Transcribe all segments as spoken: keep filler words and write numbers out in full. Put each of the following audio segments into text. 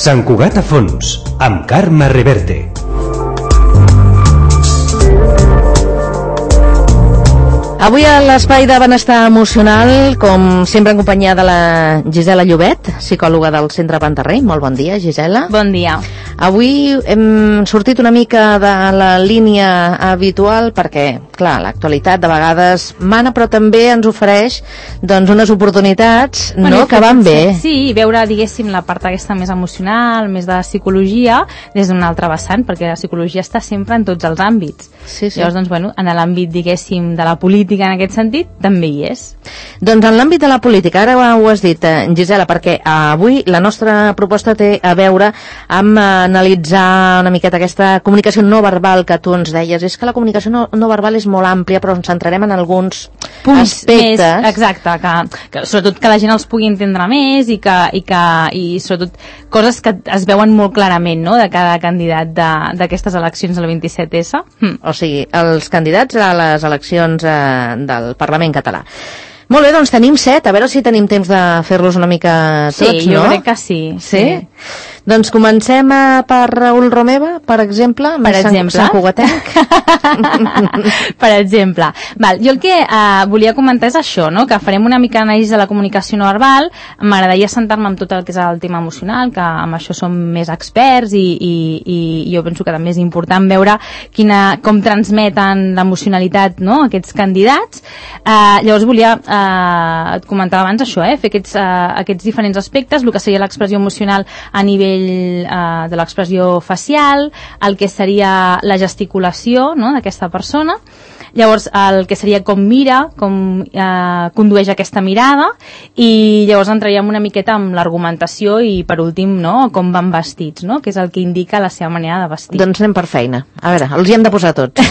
Sant Cugat a fons, amb Carme Reverte. Avui a l'Espai de Benestar Emocional, com sempre en companyia de la Gisela Llobet, psicòloga del Centre Pantarrey. Molt bon dia, Gisela. Bon dia. Avui hem sortit una mica de la línia habitual perquè, clar, l'actualitat de vegades mana, però també ens ofereix doncs, unes oportunitats bueno, no, que van bé. Sí, veure, diguéssim, la part aquesta més emocional, més de psicologia, des d'un altre vessant, perquè la psicologia està sempre en tots els àmbits. Sí, sí. Llavors, doncs, bueno, en l'àmbit, diguéssim, de la política, en aquest sentit, també hi és. Doncs en l'àmbit de la política, ara ho has dit, Gisela, perquè avui la nostra proposta té a veure amb analitzar una miqueta aquesta comunicació no verbal que tu ens deies. És que la comunicació no, no verbal és molt àmplia, però ens centrarem en alguns punts aspectes. Més, exacte, que, que sobretot que la gent els pugui entendre més i que, i que i sobretot coses que es veuen molt clarament, no?, de cada candidat d'aquestes eleccions del vint-i-set esse. Hm. O sigui, els candidats a les eleccions eh, del Parlament català. Molt bé, doncs tenim set, a veure si tenim temps de fer-los una mica tots, sí, no? Sí, jo crec que sí. Sí? sí. Doncs comencem a, per Raül Romeva, per exemple, per exemple. Sant Cugatenc. Per exemple. Val, jo el que uh, volia comentar és això, no?, que farem una mica d'anàlisi de la comunicació no verbal. M'agradaria sentar-me amb tot el que és el tema emocional, que amb això som més experts i, i, i jo penso que també és important veure quina, com transmeten l'emocionalitat, no?, aquests candidats. Uh, llavors volia, uh, et comentava abans això, eh, fer aquests, uh, aquests diferents aspectes, el que seria l'expressió emocional a nivell Uh, de l'expressió facial, el que seria la gesticulació, no?, d'aquesta persona. Llavors el que seria com mira, com eh, condueix aquesta mirada, i llavors entraríem una miqueta amb l'argumentació i per últim, no?, com van vestits, no?, que és el que indica la seva manera de vestir. Doncs anem per feina. A veure, els hi hem de posar tots.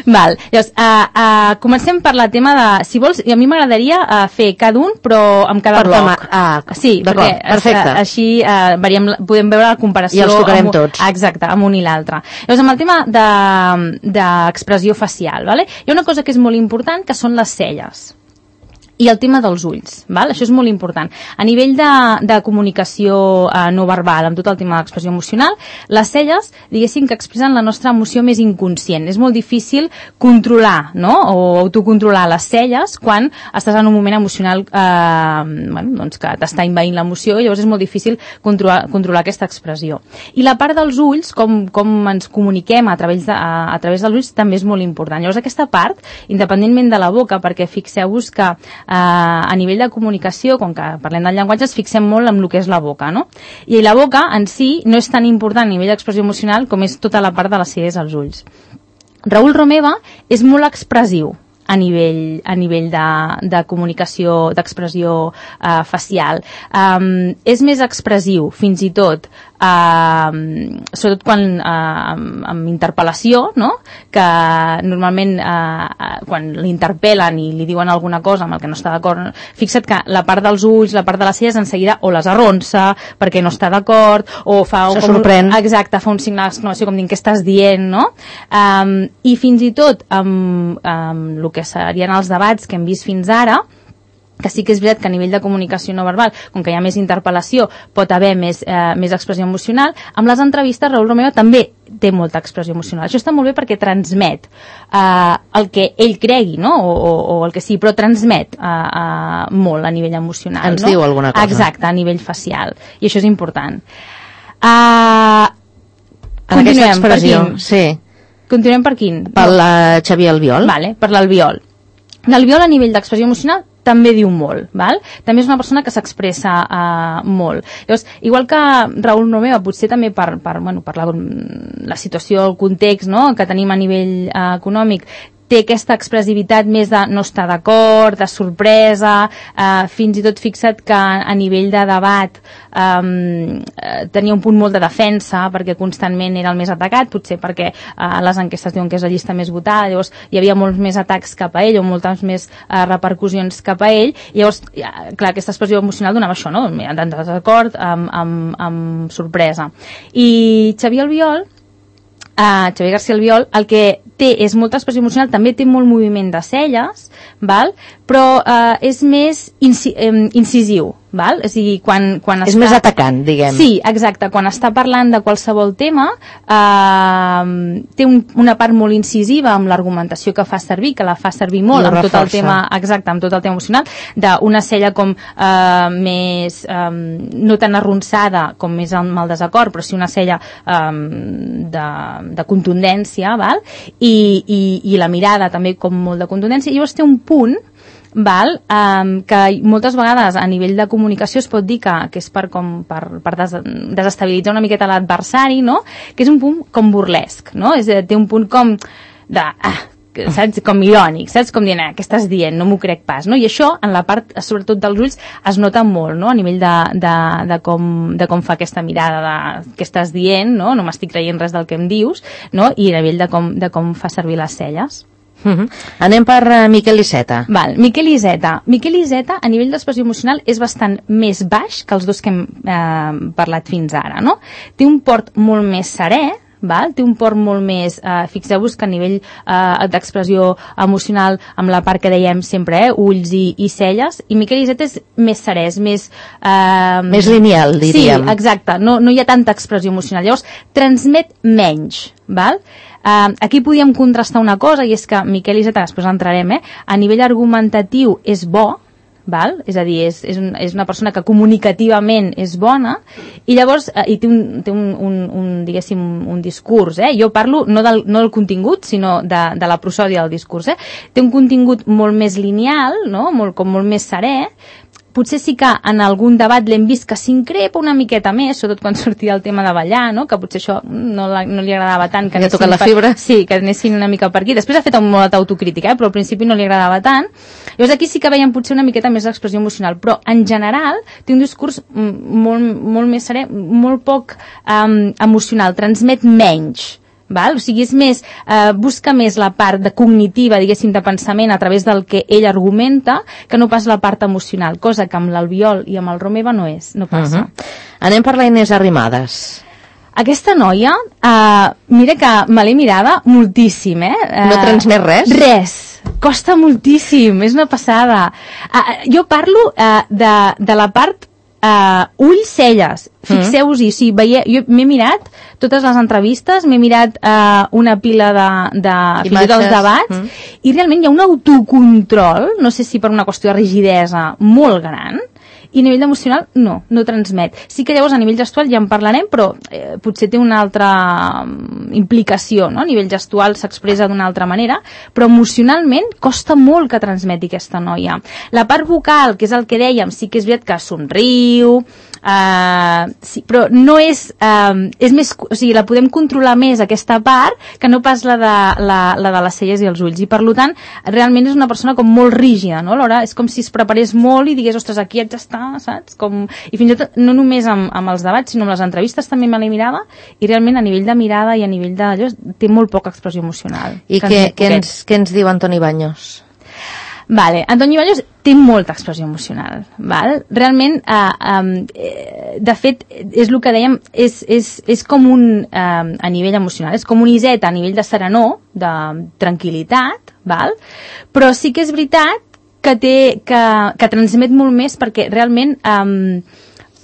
Val, llavors uh, uh, comencem per la tema de, si vols, i a mi m'agradaria uh, fer cada un però amb cada per bloc. Ah, sí, perquè perfecte. Uh, així uh, veiem, podem veure la comparació. I els tocarem amb, tots. Exacte, amb un i l'altre. Llavors amb el tema d'expressió de, facial, vale? Hi ha una cosa que és molt important, que són les celles i el tema dels ulls, val? Això és molt important. A nivell de, de comunicació eh, no verbal, amb tot el tema de l'expressió emocional, les celles, diguéssim, que expressen la nostra emoció més inconscient. És molt difícil controlar, no?, o autocontrolar les celles quan estàs en un moment emocional eh, bueno, doncs que t'està envaint l'emoció, i llavors és molt difícil controlar, controlar aquesta expressió. I la part dels ulls, com, com ens comuniquem a través, de, a, a través dels ulls, també és molt important. Llavors aquesta part, independentment de la boca, perquè fixeu-vos que Uh, a nivell de comunicació, com que parlem del llenguatge, ens fixem molt en el que és la boca, no? I la boca en si no és tan important a nivell d'expressió emocional com és tota la part de les celles als ulls. Raül Romeva és molt expressiu a nivell, a nivell de, de comunicació, d'expressió uh, facial. Um, és més expressiu, fins i tot, uh, sobretot quan uh, amb, amb interpel·lació, no?, que normalment uh, quan l'interpel·len i li diuen alguna cosa amb el que no està d'acord, fixa't que la part dels ulls, la part de les celles, en seguida o les arronsa perquè no està d'acord, o fa... Se com, sorprèn. Exacte, fa un signe d'exclamació com dient què estàs dient, no? Um, I fins i tot amb, amb el que que serien els debats que hem vist fins ara, que sí que és veritat que a nivell de comunicació no verbal, com que hi ha més interpel·lació, pot haver més, eh, més expressió emocional. Amb les entrevistes, Raül Romeva també té molta expressió emocional. Això està molt bé perquè transmet eh, el que ell cregui, no?, o, o, o el que sí, però transmet eh, eh, molt a nivell emocional. Ens no? diu alguna cosa. Exacte, a nivell facial. I això és important. Uh, en aquesta expressió, sí. Continuem per quin? Per la Xavier Albiol. Vale, per l'Albiol. L'Albiol a nivell d'expressió emocional també diu molt, val? També és una persona que s'expressa uh, molt. Llavors, igual que Raül Romeva, potser també per, per, bueno, per la, la situació, el context, no?, que tenim a nivell uh, econòmic, té aquesta expressivitat més de no estar d'acord, de sorpresa, eh, fins i tot fixa't que a nivell de debat eh, tenia un punt molt de defensa perquè constantment era el més atacat, potser perquè eh, les enquestes diuen que és la llista més votada, llavors hi havia molts més atacs cap a ell o moltes més eh, repercussions cap a ell, i llavors, clar, aquesta expressió emocional donava això, no?, de desacord, amb, amb, amb sorpresa. I Xavier Albiol, Uh, Xavier García Albiol, el que té és molta expressió emocional, també té molt moviment de celles, val? Però uh, és més inci um, incisiu, val? És a dir, quan, quan és està... més atacant, diguem. Sí, exacte. Quan està parlant de qualsevol tema, eh, té un, una part molt incisiva amb l'argumentació que fa servir, que la fa servir molt amb tot el tema, exacte, amb tot el tema emocional, d'una cella com eh, més, eh, no tan arronsada com més amb el desacord, però sí una cella eh, de, de contundència, val? I, i, i la mirada també com molt de contundència. I llavors té un punt, val? Um, que moltes vegades a nivell de comunicació es pot dir que, que és per, com, per, per des, desestabilitzar una miqueta l'adversari, no? Que és un punt com burlesc, no? És, té un punt com de... Ah, saps? Com irònic, saps? Com dient, eh, què estàs dient? No m'ho crec pas, no? I això, en la part, sobretot dels ulls, es nota molt, no? A nivell de, de, de, com, de com fa aquesta mirada de què estàs dient, no? No m'estic creient res del que em dius, no? I a nivell de com, de com fa servir les celles. Uh-huh. Anem per uh, Miquel Iceta. Val, Miquel Iceta. Miquel Iceta, a nivell d'expressió emocional, és bastant més baix que els dos que hem eh, parlat fins ara, no? Té un port molt més serè, val? Té un port molt més... Eh, fixeu-vos que a nivell eh, d'expressió emocional, amb la part que dèiem sempre, eh, ulls i, i celles, i Miquel Iceta és més serè, és més... Eh, més lineal, diríem. Sí, exacte. No, no hi ha tanta expressió emocional. Llavors, transmet menys, val? Uh, aquí podíem contrastar una cosa, i és que Miquel Iceta, després entrarem, eh, a nivell argumentatiu és bo, val? És a dir, és, és, un, és una persona que comunicativament és bona, i llavors uh, i té, un, té un, un, un, diguéssim, un discurs, eh? Jo parlo no del, no del contingut, sinó de, de la prosòdia del discurs, eh? Té un contingut molt més lineal, no? Molt, com molt més serè. Potser sí que en algun debat l'hem vist que s'increpa una miqueta més, sobretot quan sortia el tema de ballar, no? Que potser això no, la, no li agradava tant. Que ja toca la fibra. Per, sí, que anessin una mica per aquí. Després ha fet un molt d'autocrítica, eh? Però al principi no li agradava tant. Llavors aquí sí que veiem potser una miqueta més d'expressió emocional, però en general té un discurs molt, molt més serè, molt poc um, emocional, transmet menys. Val? O sigui, és més, eh, busca més la part de cognitiva, diguéssim, de pensament a través del que ell argumenta, que no pas la part emocional, cosa que amb l'Albiol i amb el Romeva no és, no passa. Uh-huh. Anem per la Inés Arrimadas. Aquesta noia, eh, mira que me l'he mirada moltíssim, eh? eh? No transmet res? Res. Costa moltíssim, és una passada. Eh, jo parlo eh, de, de la part Uh, ulls, celles, fixeu-vos-hi, mm. sí, veie, jo m'he mirat totes les entrevistes, m'he mirat uh, una pila de, de fins i tot els debats, mm. i realment hi ha un autocontrol, no sé si per una qüestió de rigidesa molt gran, i a nivell emocional no, no transmet. Sí que llavors a nivell gestual ja en parlarem, però eh, potser té una altra implicació, no? A nivell gestual s'expressa d'una altra manera, però emocionalment costa molt que transmeti aquesta noia. La part vocal, que és el que dèiem, sí que és veritat que somriu, eh, sí, però no és, eh, és més, o sigui, la podem controlar més aquesta part que no pas la de, la, la de les celles i els ulls, i per tant realment és una persona com molt rígida, no? Alhora és com si es preparés molt i digués, ostres, aquí haig d'estar, saps? Com... I fins i tot, no només amb, amb els debats, sinó amb les entrevistes també me l'he mirada, i realment a nivell de mirada i a nivell d'allò té molt poca expressió emocional. I què, què, ens, què ens diu Antoni Baños? Vale, Antoni Baños té molta expressió emocional, val? Realment, eh, eh, de fet, és el que dèiem, és, és, és com un, eh, a nivell emocional, és com un Iceta a nivell de serenor, de tranquil·litat, val? Però sí que és veritat que té, que, que transmet molt més perquè realment eh,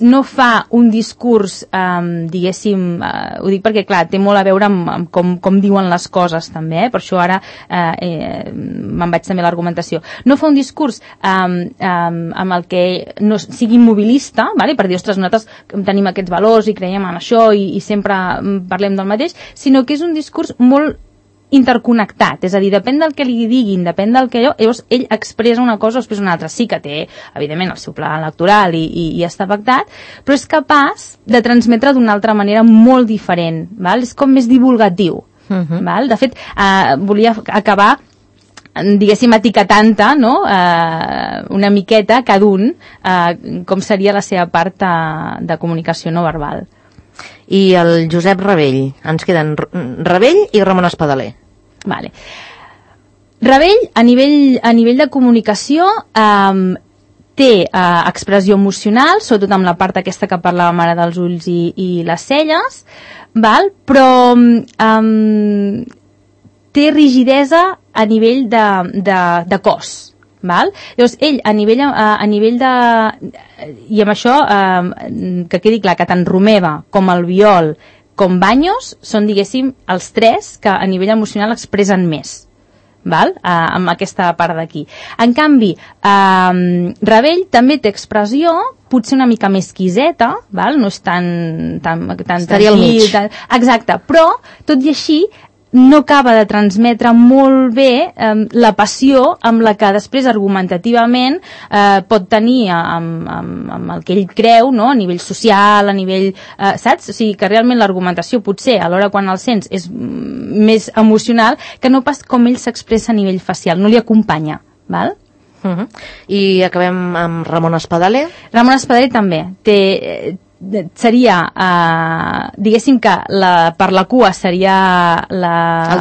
no fa un discurs, eh, diguéssim, eh, ho dic perquè, clar, té molt a veure amb, amb com, com diuen les coses també, eh? Per això ara eh, eh, me'n vaig també a l'argumentació. No fa un discurs eh, eh, amb el que no sigui immobilista, vale? Per dir, ostres, nosaltres tenim aquests valors i creiem en això i, i sempre parlem del mateix, sinó que és un discurs molt interconnectat, és a dir, depèn del que li diguin, depèn del que allò, llavors ell expressa una cosa o expressa una altra. Sí que té, evidentment, el seu pla electoral i, i, i està pactat, però és capaç de transmetre d'una altra manera molt diferent, val? És com més divulgatiu. Uh-huh. Val? De fet, eh, volia acabar diguéssim etiquetant-te, no? eh, una miqueta cada un eh, com seria la seva part de, de comunicació no verbal. I el Josep Ravell. Ens queden Ravell i Ramon Espadaler. Vale. Ravell, a nivell, a nivell de comunicació, eh, té eh, expressió emocional, sobretot amb la part aquesta que parlàvem ara dels ulls i, i les celles, val? Però eh, té rigidesa a nivell de, de, de cos. Val? Llavors, ell, a nivell, a, a nivell de... I amb això, eh, que quedi clar, que tant Romeva com el Biol com Baños són, diguéssim, els tres que a nivell emocional expressen més. Val? Uh, amb aquesta part d'aquí. En canvi, uh, Ravell també té expressió, potser una mica més quiseta, val? No és tan... tan, tan Estaria al mig. Tan, exacte, però, tot i així, no acaba de transmetre molt bé eh, la passió amb la que després argumentativament eh, pot tenir amb, amb, amb el que ell creu, no? A nivell social, a nivell... Eh, saps? O sigui, que realment l'argumentació potser a l'hora quan el sents és més emocional que no pas com ell s'expressa a nivell facial, no li acompanya, val? Uh-huh. I acabem amb Ramon Espadaler. Ramon Espadaler també té... seria, eh, diguéssim que la, per la cua seria la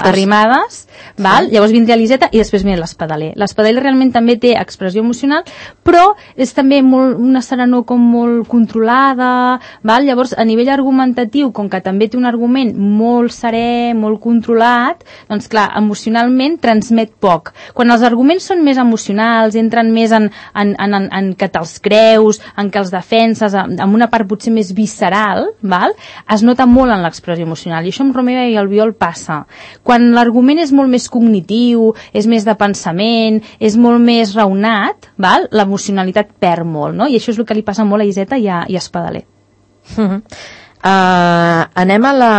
Arrimadas, val? Sí. Llavors vindria l'Iseta i després vindria l'Espadaler. L'Espadaler realment també té expressió emocional, però és també molt, una serenor com molt controlada, val? Llavors a nivell argumentatiu, com que també té un argument molt serè, molt controlat, doncs clar, emocionalment transmet poc. Quan els arguments són més emocionals, entren més en, en, en, en, en que te'ls creus, en que els defenses, amb una part potser més visceral, val? Es nota molt en l'expressió emocional, i això amb Romeva i el Biol passa. Quan l'argument és molt més cognitiu, és més de pensament, és molt més raonat, val? L'emocionalitat perd molt, no? I això és el que li passa molt a Iseta i a, i a Espadaler. Uh-huh. uh, anem a la...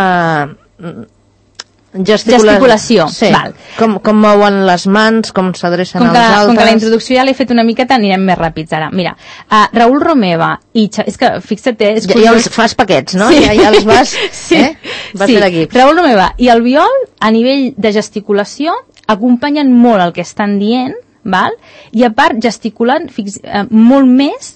Gesticula... Gesticulació, sí. Val. Com, com mouen les mans, com s'adrecen als altres... Com que la introducció ja l'he fet una miqueta, anirem més ràpids ara. Mira, uh, Raül Romeva i... Xa... És que, fixa't, és ja, ja els fas paquets, no? Sí. Ja, ja els vas... Sí, eh? vas sí. fer l'equip. Raül Romeva i el Biol, a nivell de gesticulació, acompanyen molt el que estan dient, val? I a part gesticulen fix... uh, molt més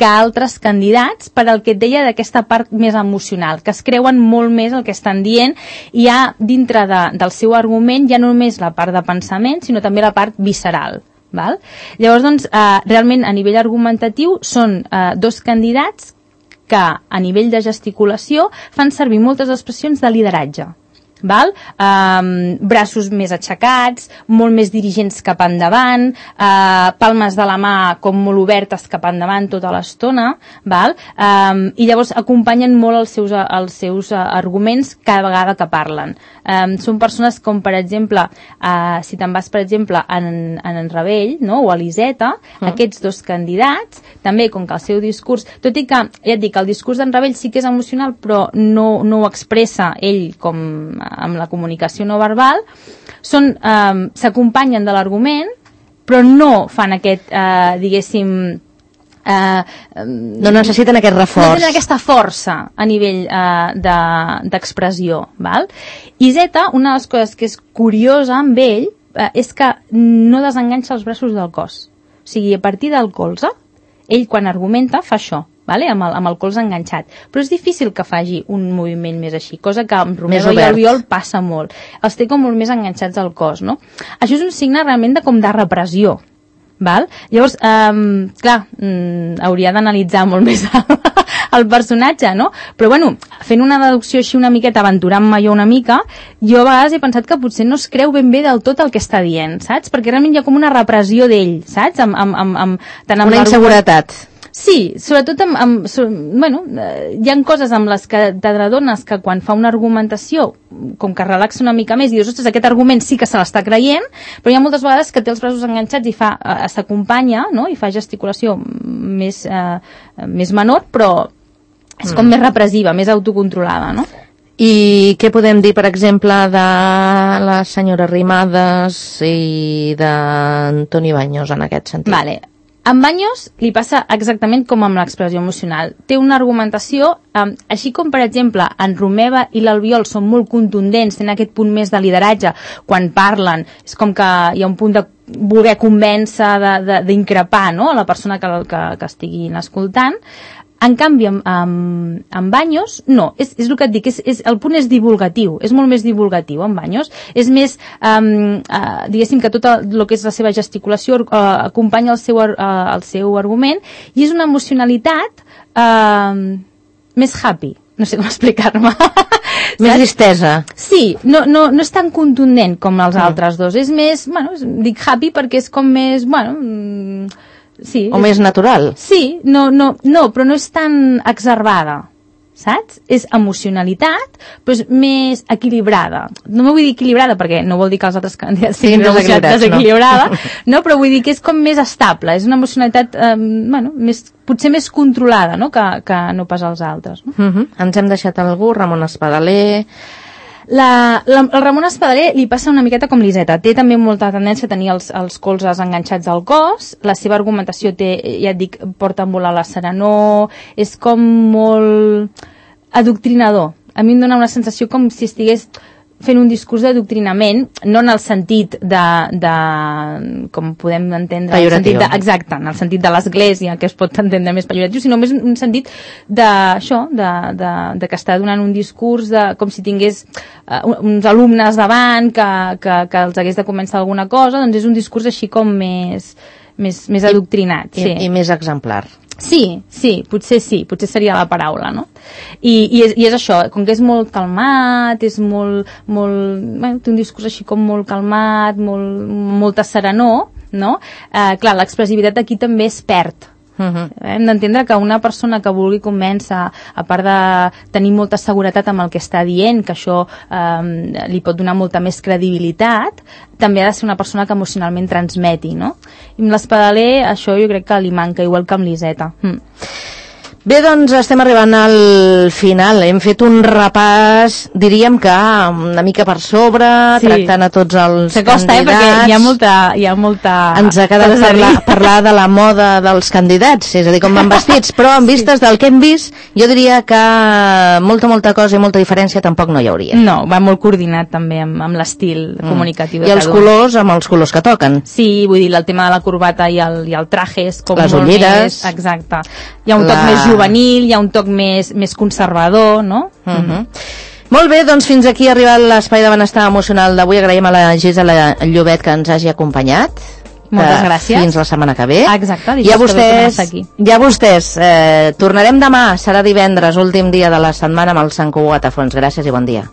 que altres candidats per al que et deia d'aquesta part més emocional, que es creuen molt més el que estan dient, i hi ha dintre de, del seu argument ja no només la part de pensament, sinó també la part visceral. Val? Llavors, doncs, eh, realment a nivell argumentatiu són eh, dos candidats que a nivell de gesticulació fan servir moltes expressions de lideratge. Val? Um, braços més aixecats, molt més dirigents cap endavant, uh, palmes de la mà com molt obertes cap endavant tota l'estona, val? Um, i llavors acompanyen molt els seus, els seus uh, arguments cada vegada que parlen. Um, són persones com, per exemple, uh, si te'n vas, per exemple, en, en, en Ravell, no? O a l'Iseta, mm. aquests dos candidats, també com que el seu discurs, tot i que, ja et dic, el discurs d'en Ravell sí que és emocional, però no, no ho expressa ell com amb la comunicació no verbal, són, eh, s'acompanyen de l'argument, però no fan aquest, eh, diguéssim, eh, no necessiten aquest reforç. No tenen aquesta força a nivell eh, d'expressió. De, val? I Zeta, una de les coses que és curiosa amb ell, eh, és que no desenganxa els braços del cos. O sigui, a partir del colze, ell quan argumenta fa això. Vale? Amb, el, amb el colze enganxat. Però és difícil que faci un moviment més així, cosa que amb Romeva i el Biol passa molt. Els té com molt més enganxats al cos, no? Això és un signe realment de, com de repressió. Val? Llavors, um, clar, um, hauria d'analitzar molt més el, el personatge, no? Però bueno, fent una deducció així una miqueta, aventurant-me jo una mica, jo a vegades he pensat que potser no es creu ben bé del tot el que està dient, saps? Perquè realment hi ha com una repressió d'ell, saps? Amb, amb, amb, amb, tant amb una inseguretat. Sí, sobretot amb, amb so, bueno, eh, hi ha coses amb les que t'adones que quan fa una argumentació, com que relaxa una mica més i dius, ostres, aquest argument sí que se l'està creient, però hi ha moltes vegades que té els braços enganxats i fa, eh, s'acompanya, no? I fa gesticulació més, eh, més menor, però és com mm. més repressiva, més autocontrolada, no? I què podem dir, per exemple, de la senyora Arrimadas i d'Antoni Baños en aquest sentit? Vale. Amb Baños li passa exactament com amb l'expressió emocional. Té una argumentació, eh, així com, per exemple, en Romeva i l'Albiol són molt contundents, tenen aquest punt més de lideratge quan parlen. És com que hi ha un punt de voler convèncer, d'increpar, no?, a la persona que, que, que estiguin escoltant. En canvi, amb, amb, amb Baños, no, és, és el que et dic, és, és, el punt és divulgatiu, és molt més divulgatiu amb Baños, és més, um, uh, diguéssim que tot el que és la seva gesticulació uh, acompanya el seu, uh, el seu argument, i és una emocionalitat uh, més happy, no sé com explicar-me. Més tristesa. Sí, no, no, no és tan contundent com els mm. altres dos. És més, bueno, dic happy perquè és com més, bueno... Sí, o és, més natural. Sí, no, no, no, però no és tan exacerbada. Saps? És emocionalitat, però és més equilibrada. No m'ho vull dir equilibrada, perquè no vol dir que els altres candidats siguin desequilibrada, no? no? Però vull dir que és com més estable, és una emocionalitat, eh, bueno, més, potser més controlada, no?, que, que no pas els altres. No? Uh-huh. Ens hem deixat algú, Ramon Espadaler... La, la, el Ramon Espadaler li passa una miqueta com l'Iseta. Té també molta tendència a tenir els, els colzes enganxats al cos. La seva argumentació té, ja et dic, porta a volar la serenor. És com molt adoctrinador. A mi em dona una sensació com si estigués fent un discurs d'adoctrinament, no en el sentit de, de com podem entendre, en el sentit de, exacte, en el sentit de l'església, que es pot entendre més pejoratiu, sinó més un sentit d'això, de, de, de que està donant un discurs de, com si tingués uh, uns alumnes davant que, que, que els hagués de començar alguna cosa, doncs és un discurs així com més, més, més adoctrinat. I, sí. i, i més exemplar. Sí, sí, potser sí, potser seria la paraula, no? I, i, és, i és això, com que és molt calmat, és molt, molt, bueno, té un discurs així com molt calmat, molt, molta serenor, no? Eh, clar, l'expressivitat aquí també es perd. Uh-huh. Hem d'entendre que una persona que vulgui convèncer, a part de tenir molta seguretat amb el que està dient, que això eh, li pot donar molta més credibilitat, també ha de ser una persona que emocionalment transmeti, no? I amb l'Espadaler això jo crec que li manca, igual que amb l'Iseta. Mm. Bé, doncs estem arribant al final. Hem fet un repàs, diríem que una mica per sobre, sí, tractant a tots els S'acosta, candidats. Eh, perquè hi ha molta... Hi ha molta... Ens ha quedat parlar, parlar de la moda dels candidats, és a dir, com van vestits, però en vistes sí. del que hem vist, jo diria que molta, molta cosa i molta diferència tampoc no hi hauria. No, va molt coordinat també amb, amb l'estil mm. comunicatiu. I els colors amb els colors que toquen. Sí, vull dir, el tema de la corbata i el, i el traje és com les molt ulleres. Més... Exacte. Hi ha un la... toc més juvenil, hi ha un toc més, més conservador, no? Uh -huh. mm. Molt bé, doncs fins aquí ha arribat l'espai de benestar emocional d'avui. Agraïm a la Gisela Llobet que ens hagi acompanyat. Moltes gràcies. Fins la setmana que ve. Exacte. I a vostès, ja vostès eh, tornarem demà, serà divendres, últim dia de la setmana amb el Sant Cugat a fons. Gràcies i bon dia.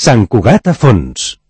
Sant Cugat a fons.